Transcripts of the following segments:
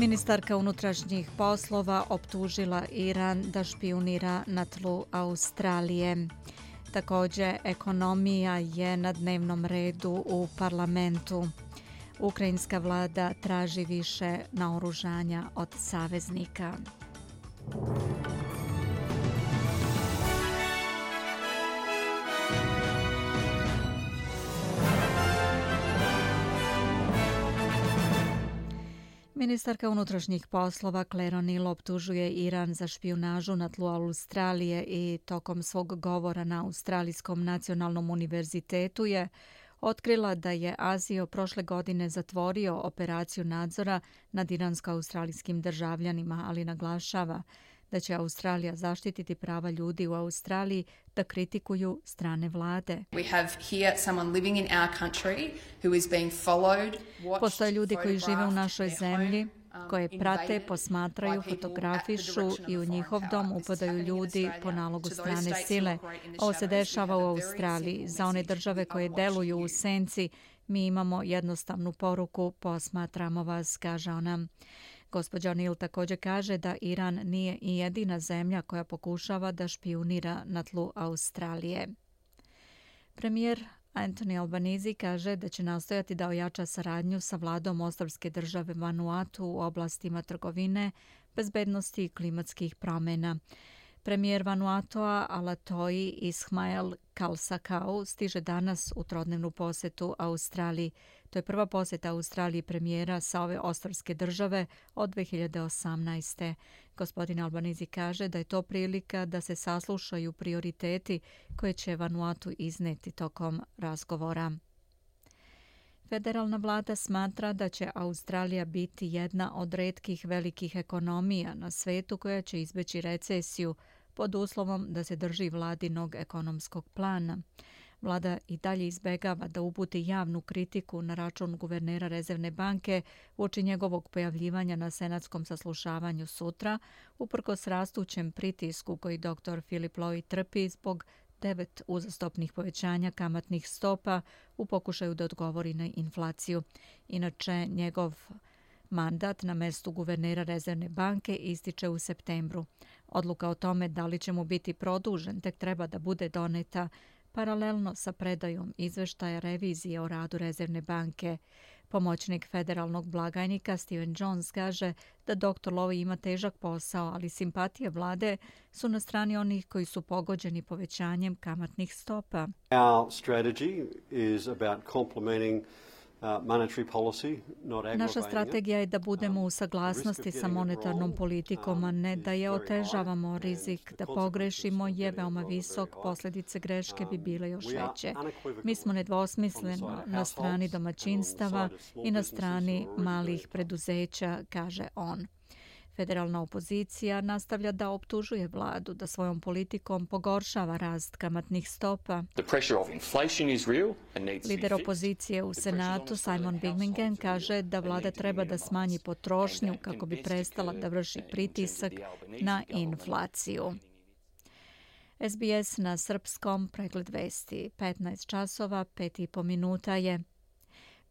Ministarka unutrašnjih poslova optužila Iran da špijunira na tlu Australije. Također, ekonomija je na dnevnom redu u parlamentu. Ukrajinska vlada traži više naoružanja od saveznika. Ministarka unutrašnjih poslova Claire O'Neil optužuje Iran za špijunažu na tlu Australije i tokom svog govora na Australijskom nacionalnom univerzitetu je otkrila da je ASIO prošle godine zatvorio operaciju nadzora nad iransko-australijskim državljanima, ali naglašava da će Australija zaštititi prava ljudi u Australiji da kritikuju strane vlade. Postoje ljudi koji žive u našoj zemlji, koje prate, posmatraju, fotografišu i u njihov dom upadaju ljudi po nalogu strane sile. Ovo se dešava u Australiji. Za one države koje deluju u senci, mi imamo jednostavnu poruku, posmatramo vas, kaže ona. Gospođa O'Neil također kaže da Iran nije i jedina zemlja koja pokušava da špijunira na tlu Australije. Premijer Anthony Albanese kaže da će nastojati da ojača saradnju sa vladom ostrvske države Vanuatu u oblastima trgovine, bezbednosti i klimatskih promjena. Premijer Vanuatoa Alatoji Ismail Kalsakau stiže danas u trodnevnu posjetu Australiji. To je prva posjeta Australiji premijera sa ove ostrvske države od 2018. Gospodin Albanese kaže da je to prilika da se saslušaju prioriteti koje će Vanuatu izneti tokom razgovora. Federalna vlada smatra da će Australija biti jedna od retkih velikih ekonomija na svetu koja će izbeći recesiju pod uslovom da se drži vladinog ekonomskog plana. Vlada i dalje izbegava da uputi javnu kritiku na račun guvernera Rezervne banke uoči njegovog pojavljivanja na senatskom saslušavanju sutra, uprkos rastućem pritisku koji dr. Philip Lowe trpi zbog 9 uzastopnih povećanja kamatnih stopa u pokušaju da odgovori na inflaciju. Inače, njegov mandat na mestu guvernera Rezervne banke ističe u septembru. Odluka o tome da li će mu biti produžen tek treba da bude doneta paralelno sa predajom izveštaja revizije o radu Rezervne banke. Pomoćnik federalnog blagajnika Steven Jones kaže da dr. Lowe ima težak posao, ali simpatije vlade su na strani onih koji su pogođeni povećanjem kamatnih stopa. Our strategy is about complementing Naša strategija je da budemo u saglasnosti sa monetarnom politikom, a ne da je otežavamo. Rizik da pogrešimo je veoma visok, posljedice greške bi bile još veće. Mi smo nedvosmisleno na strani domaćinstava i na strani malih preduzeća, kaže on. Federalna opozicija nastavlja da optužuje vladu da svojom politikom pogoršava rast kamatnih stopa. Lider opozicije u Senatu Simon Birmingham kaže da vlada treba da smanji potrošnju kako bi prestala da vrši pritisak na inflaciju. SBS na srpskom, pregled vesti, 15 časova, 5,5 minuta je.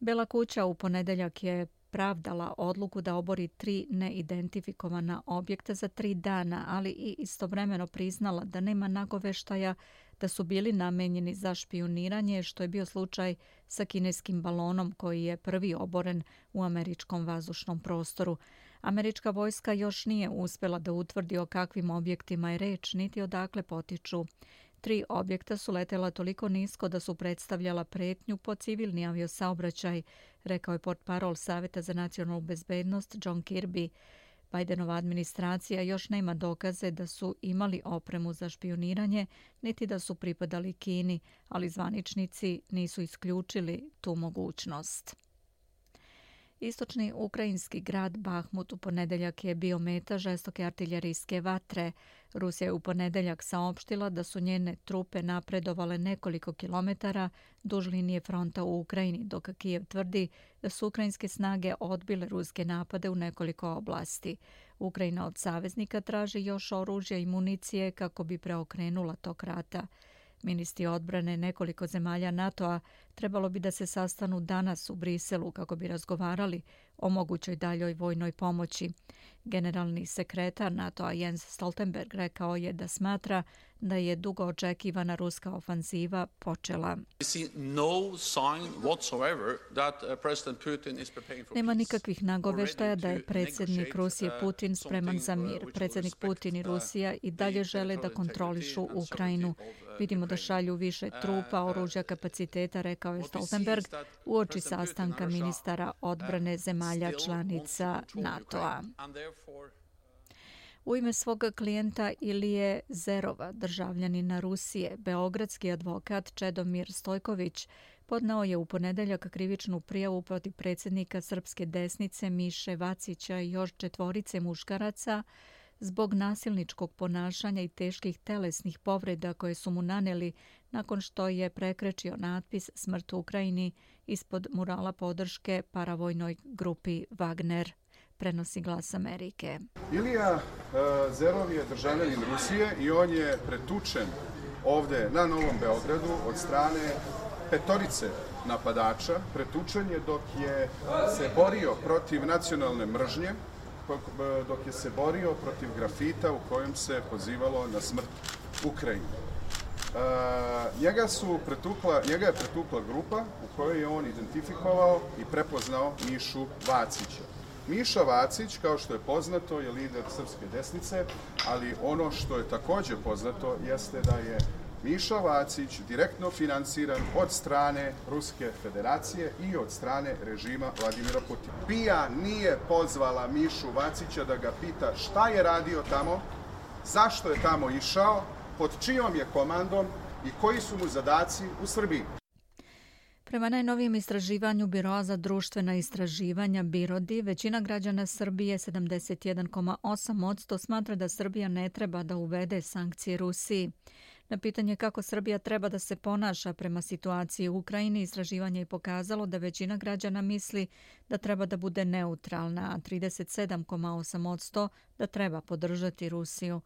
Bela kuća u ponedeljak je pravdala odluku da obori 3 neidentifikovana objekta za 3 dana, ali i istovremeno priznala da nema nagoveštaja da su bili namenjeni za špijuniranje, što je bio slučaj sa kineskim balonom koji je prvi oboren u američkom vazdušnom prostoru. Američka vojska još nije uspjela da utvrdi o kakvim objektima je reč, niti odakle potiču. 3 objekta su letela toliko nisko da su predstavljala pretnju po civilni aviosaobraćaj, rekao je portparol Saveta za nacionalnu bezbednost John Kirby. Bidenova administracija još nema dokaze da su imali opremu za špijuniranje, niti da su pripadali Kini, ali zvaničnici nisu isključili tu mogućnost. Istočni ukrajinski grad Bahmut u ponedeljak je bio meta žestoke artiljerijske vatre. Rusija je u ponedeljak saopštila da su njene trupe napredovale nekoliko kilometara duž linije fronta u Ukrajini, dok Kijev tvrdi da su ukrajinske snage odbile ruske napade u nekoliko oblasti. Ukrajina od saveznika traži još oružja i municije kako bi preokrenula tok rata. Ministri odbrane nekoliko zemalja NATO-a trebalo bi da se sastanu danas u Briselu kako bi razgovarali o mogućoj daljoj vojnoj pomoći. Generalni sekretar NATO-a Jens Stoltenberg rekao je da smatra da je dugo očekivana ruska ofanziva počela. Nema nikakvih nagoveštaja da je predsjednik Rusije Putin spreman za mir. Predsjednik Putin i Rusija i dalje žele da kontrolišu Ukrajinu. Vidimo da šalju više trupa, oružja, kapaciteta, rekao je Stoltenberg uoči sastanka ministara odbrane zemalja članica NATO-a. U ime svoga klijenta Ilije Zerova, državljanina Rusije, beogradski advokat Čedomir Stojković podneo je u ponedeljak krivičnu prijavu protiv predsjednika srpske desnice Miše Vacića i još 4 muškaraca zbog nasilničkog ponašanja i teških telesnih povreda koje su mu naneli nakon što je prekrečio natpis Smrt Ukrajini ispod murala podrške paravojnoj grupi Wagner, prenosi Glas Amerike. Ilija Zerov je državljanin Rusije i on je pretučen ovde na Novom Beogradu od strane 5 napadača. Pretučen je dok je se borio protiv nacionalne mržnje, dok je se borio protiv grafita u kojem se pozivalo na smrt Ukrajini. Njega je pretukla grupa u kojoj je on identifikovao i prepoznao Mišu Vacića. Miša Vacić, kao što je poznato, je lider srpske desnice, ali ono što je također poznato jeste da je Miša Vacić direktno finansiran od strane Ruske federacije i od strane režima Vladimira Putina. BIA nije pozvala Mišu Vacića da ga pita šta je radio tamo, zašto je tamo išao, pod čijom je komandom i koji su mu zadaci u Srbiji. Prema najnovijem istraživanju Biroa za društvena istraživanja BIRODI, većina građana Srbije, 71,8%, smatra da Srbija ne treba da uvede sankcije Rusiji. Na pitanje kako Srbija treba da se ponaša prema situaciji u Ukrajini, istraživanje je pokazalo da većina građana misli da treba da bude neutralna, a 37,8% da treba podržati Rusiju.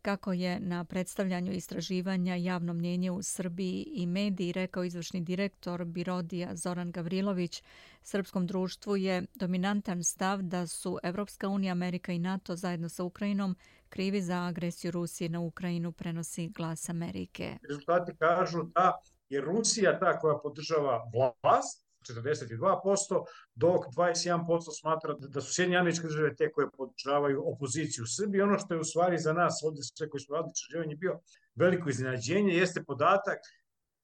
Kako je na predstavljanju istraživanja javno mnjenje u Srbiji i mediji rekao izvršni direktor Birodija Zoran Gavrilović, srpskom društvu je dominantan stav da su Evropska unija, Amerika i NATO zajedno sa Ukrajinom krivi za agresiju Rusije na Ukrajinu, prenosi Glas Amerike. Rezultati kažu da je Rusija ta koja podržava vlast, 42%, dok 21% smatra da su Sjedinjene Američke Države te koje podržavaju opoziciju u Srbiji. Ono što je u stvari za nas, ovdje sve koji smo radili istraživanje, bio veliko iznenađenje, jeste podatak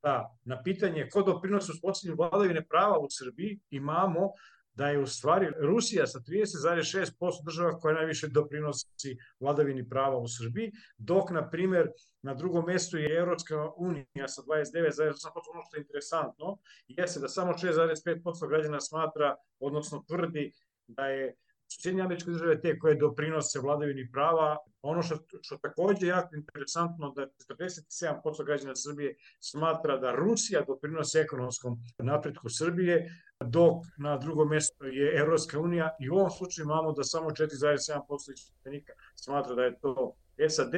da na pitanje ko doprinosi uspostavljanju vladavine prava u Srbiji imamo da je u stvari Rusija sa 30,6% država koja najviše doprinosi vladavini prava u Srbiji, dok, na primjer, na drugom mjestu je Evropska unija sa 29,8%. Ono što je interesantno jeste da samo 6,5% građana smatra, odnosno tvrdi da je Sjedinjene Američke Države te koje doprinose vladavini prava. Ono što također je jako interesantno da 47% građana Srbije smatra da Rusija doprinose ekonomskom napretku Srbije, dok na drugom mjestu je Evropska unija i u ovom slučaju imamo da samo 4,7% ispitanika smatra da je to SAD.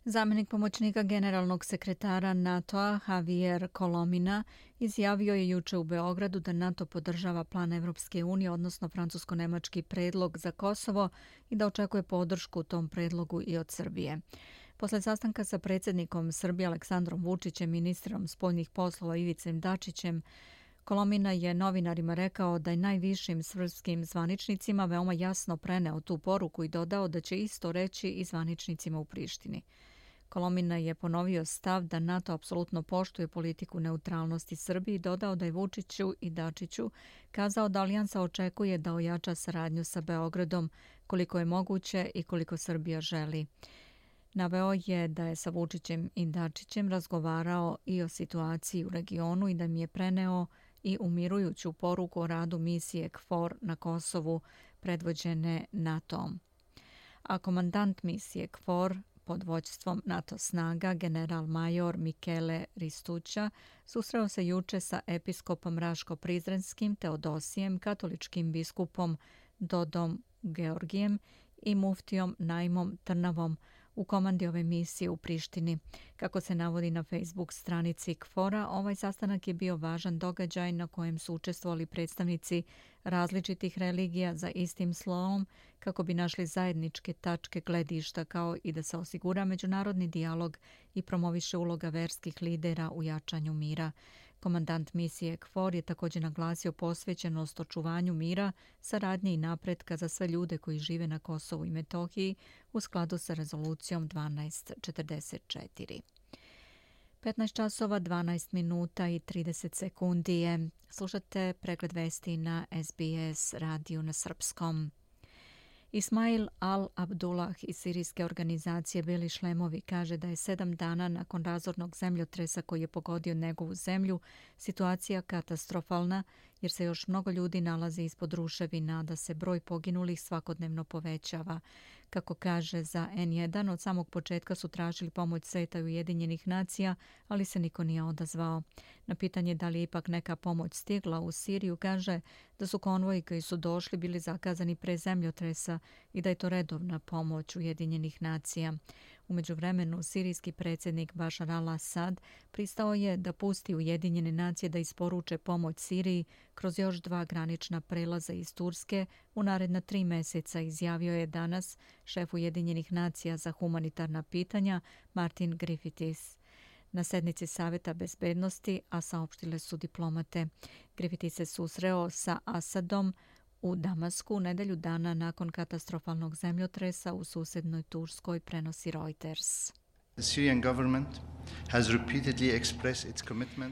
Zamjenik pomoćnika generalnog sekretara NATO-a Javier Colomina izjavio je juče u Beogradu da NATO podržava plan Evropske unije, odnosno francusko-nemački predlog za Kosovo i da očekuje podršku tom predlogu i od Srbije. Posle sastanka sa predsjednikom Srbije Aleksandrom Vučićem, ministrom spoljnih poslova Ivicem Dačićem, Kolomina je novinarima rekao da je najvišim srpskim zvaničnicima veoma jasno preneo tu poruku i dodao da će isto reći i zvaničnicima u Prištini. Kolomina je ponovio stav da NATO apsolutno poštuje politiku neutralnosti Srbiji i dodao da je Vučiću i Dačiću kazao da alijansa očekuje da ojača saradnju sa Beogradom koliko je moguće i koliko Srbija želi. Naveo je da je sa Vučićem i Dačićem razgovarao i o situaciji u regionu i da mi je preneo i umirujuću poruku o radu misije KFOR na Kosovu predvođene NATO-om. A komandant misije KFOR pod vođstvom NATO snaga, general-major Michele Ristuća, susreo se juče sa episkopom Raško-Prizrenskim Teodosijem, katoličkim biskupom Dodom Georgijem i muftijom Naimom Trnavom u komandi ove misije u Prištini. Kako se navodi na Facebook stranici KFOR-a, ovaj sastanak je bio važan događaj na kojem su učestvovali predstavnici različitih religija za istim slovom kako bi našli zajedničke tačke gledišta kao i da se osigura međunarodni dijalog i promoviše uloga verskih lidera u jačanju mira. Komandant misije KFOR je također naglasio posvećenost očuvanju mira, saradnje i napretka za sve ljude koji žive na Kosovu i Metohiji u skladu sa rezolucijom 1244. 15 časova, 12 minuta i 30 sekundi je. Slušate pregled vesti na SBS radiju na srpskom. Ismail al-Abdullah iz sirijske organizacije Beli šlemovi kaže da je 7 dana nakon razornog zemljotresa koji je pogodio njegovu zemlju situacija katastrofalna jer se još mnogo ljudi nalazi ispod ruševina, da se broj poginulih svakodnevno povećava. Kako kaže za N1, od samog početka su tražili pomoć Sveta Ujedinjenih nacija, ali se niko nije odazvao. Na pitanje da li je ipak neka pomoć stigla u Siriju, kaže da su konvoji koji su došli bili zakazani pre zemljotresa i da je to redovna pomoć Ujedinjenih nacija. U međuvremenu, sirijski predsjednik Bašar al-Assad pristao je da pusti Ujedinjene nacije da isporuče pomoć Siriji kroz još 2 granična prelaza iz Turske u naredna 3 mjeseca, izjavio je danas šef Ujedinjenih nacija za humanitarna pitanja Martin Griffiths na sednici Saveta bezbednosti, a saopštile su diplomate. Griffiths se susreo sa Asadom u Damasku nedelju dana nakon katastrofalnog zemljotresa u susednoj Turskoj, prenosi Reuters.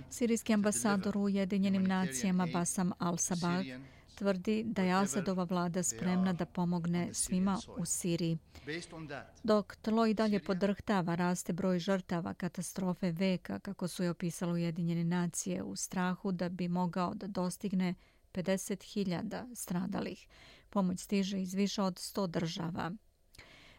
Sirijski ambasador u Ujedinjenim nacijama Bassam al-Sabah tvrdi da je Asadova vlada spremna da pomogne svima u Siriji. Dok tlo i dalje podrhtava, raste broj žrtava katastrofe veka, kako su je opisale Ujedinjene nacije, u strahu da bi mogao da dostigne 50.000 stradalih. Pomoć stiže iz više od 100 država.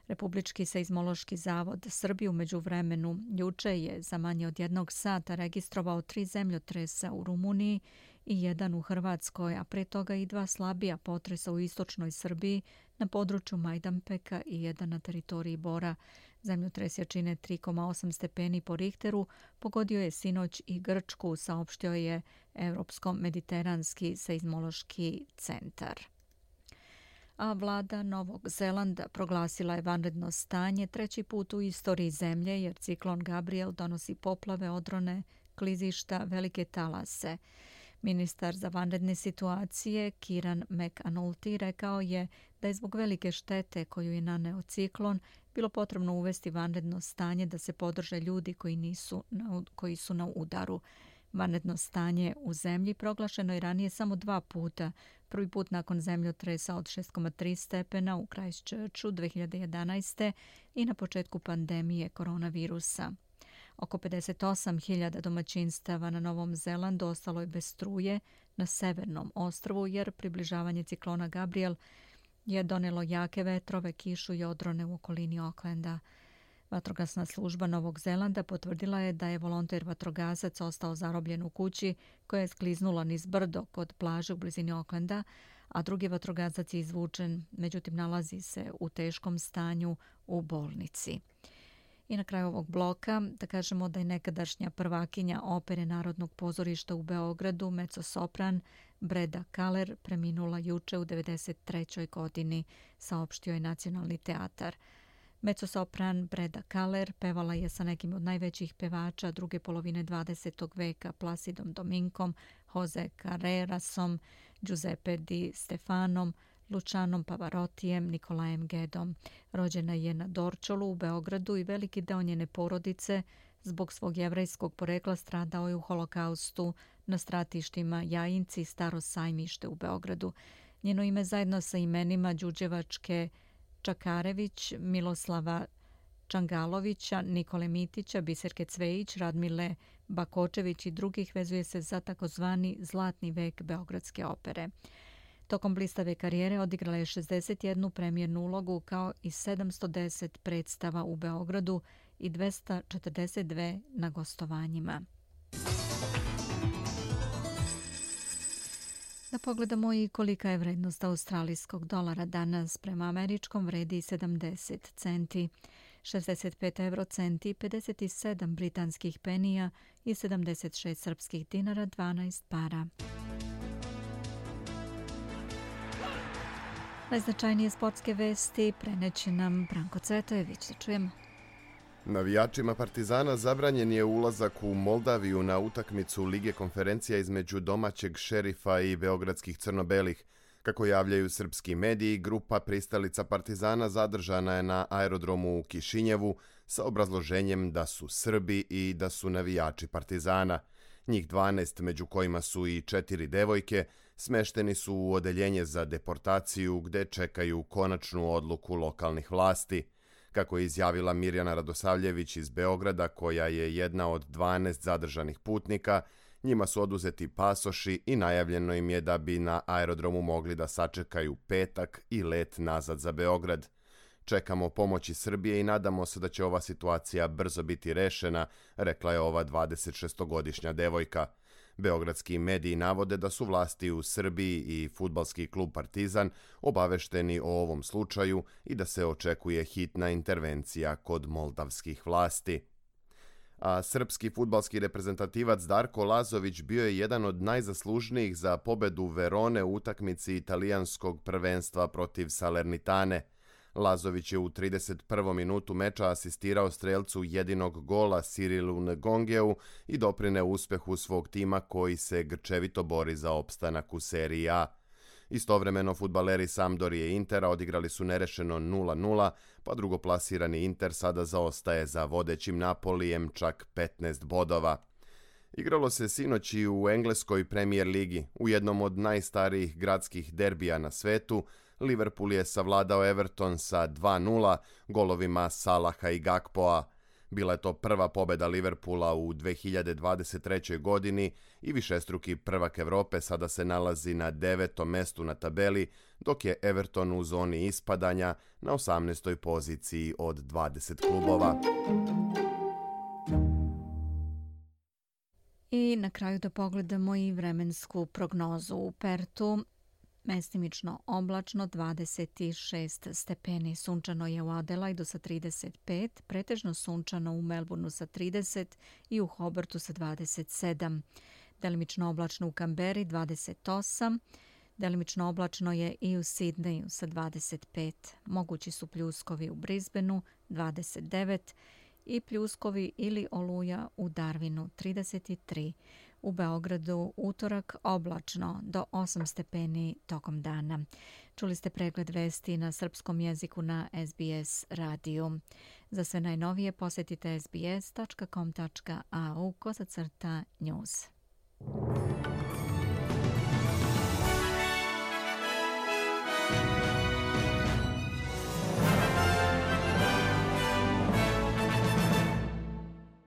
Republički seizmološki zavod Srbije u međuvremenu juče je za manje od 1 sata registrovao 3 zemljotresa u Rumuniji i 1 u Hrvatskoj, a pre toga i 2 slabija potresa u istočnoj Srbiji na području Majdanpeka i 1 na teritoriji Bora. Zemljotres jačine 3,8 stepeni po Richteru pogodio je sinoć i Grčku, saopštio je Evropsko-mediteranski seizmološki centar. A vlada Novog Zelanda proglasila je vanredno stanje 3. put u istoriji zemlje jer ciklon Gabriel donosi poplave, odrone, klizišta, velike talase. Ministar za vanredne situacije Kieran McAnulty rekao je da je zbog velike štete koju je naneo ciklon bilo potrebno uvesti vanredno stanje da se podrže ljudi koji su na udaru. Vanredno stanje u zemlji proglašeno je ranije samo 2 puta. Prvi put nakon zemljotresa od 6,3 stepena u Christchurchu 2011. i na početku pandemije koronavirusa. Oko 58.000 domaćinstava na Novom Zelandu ostalo je bez struje na severnom ostrvu jer približavanje ciklona Gabriel je donelo jake vetrove, kišu i odrone u okolini Aucklanda. Vatrogasna služba Novog Zelanda potvrdila je da je volonter vatrogasac ostao zarobljen u kući koja je skliznula niz brdo kod plaže u blizini Aucklanda, a drugi vatrogasac je izvučen, međutim nalazi se u teškom stanju u bolnici. I na kraju ovog bloka da kažemo da je nekadašnja prvakinja opere Narodnog pozorišta u Beogradu, mezzosopran Breda Kaler, preminula juče u 93. godini, saopštio je Nacionalni teatar. Mezzosopran Breda Kaler pevala je sa nekim od najvećih pevača druge polovine 20. veka, Placidom Dominkom, Jose Carrerasom, Giuseppe Di Stefanom, Lucianom Pavarottijem, Nikolajem Gedom. Rođena je na Dorčolu u Beogradu i veliki deo njene porodice zbog svog jevrejskog porekla stradao je u holokaustu na stratištima Jajinci i Staro sajmište u Beogradu. Njeno ime zajedno sa imenima Đuđevačke Čakarević, Miloslava Čangalovića, Nikole Mitića, Biserke Cvejić, Radmile Bakočević i drugih vezuje se za takozvani zlatni vek beogradske opere. Tokom blistave karijere odigrala je 61 premijernu ulogu kao i 710 predstava u Beogradu i 242 na gostovanjima. Da pogledamo i kolika je vrednost australijskog dolara danas. Prema američkom vredi 70 centi. 65 eurocenti, 57 britanskih penija i 76 srpskih dinara, 12 para. Najznačajnije sportske vesti preneće nam Branko Cvetojević. Da čujemo. Navijačima Partizana zabranjen je ulazak u Moldaviju na utakmicu Lige konferencija između domaćeg Šerifa i beogradskih crno-belih. Kako javljaju srpski mediji, grupa pristalica Partizana zadržana je na aerodromu u Kišinjevu sa obrazloženjem da su Srbi i da su navijači Partizana. Njih 12, među kojima su i 4 devojke, smešteni su u odeljenje za deportaciju gde čekaju konačnu odluku lokalnih vlasti. Kako je izjavila Mirjana Radosavljević iz Beograda, koja je jedna od 12 zadržanih putnika, njima su oduzeti pasoši i najavljeno im je da bi na aerodromu mogli da sačekaju petak i let nazad za Beograd. Čekamo pomoći Srbije i nadamo se da će ova situacija brzo biti rešena, rekla je ova 26-godišnja devojka. Beogradski mediji navode da su vlasti u Srbiji i fudbalski klub Partizan obavešteni o ovom slučaju i da se očekuje hitna intervencija kod moldavskih vlasti. A srpski fudbalski reprezentativac Darko Lazović bio je jedan od najzaslužnijih za pobedu Verone u utakmici italijanskog prvenstva protiv Salernitane. Lazović je u 31. minutu meča asistirao strelcu jedinog gola Cirilu Ngongeu i doprineo uspehu svog tima koji se grčevito bori za opstanak u seriji A. Istovremeno fudbaleri Sampdorije i Intera odigrali su nerešeno 0:0, pa drugoplasirani Inter sada zaostaje za vodećim Napolijem čak 15 bodova. Igralo se sinoć i u engleskoj Premier ligi. U jednom od najstarijih gradskih derbija na svetu, Liverpool je savladao Everton sa 2:0 golovima Salaha i Gakpoa. Bila je to prva pobeda Liverpoola u 2023. godini i višestruki prvak Evrope sada se nalazi na 9. mestu na tabeli, dok je Everton u zoni ispadanja na 18. poziciji od 20 klubova. I na kraju da pogledamo i vremensku prognozu u Pertu. Mestimično oblačno 26 stepeni, sunčano je u Adelaidu sa 35, pretežno sunčano u Melbourneu sa 30 i u Hobartu sa 27. Delimično oblačno u Kamberi 28, delimično oblačno je i u Sidneju sa 25. Mogući su pljuskovi u Brisbaneu 29 i pljuskovi ili oluja u Darwinu 33. U Beogradu utorak oblačno do 8 stepeni tokom dana. Čuli ste pregled vesti na srpskom jeziku na SBS radiju. Za sve najnovije posjetite sbs.com.au/news.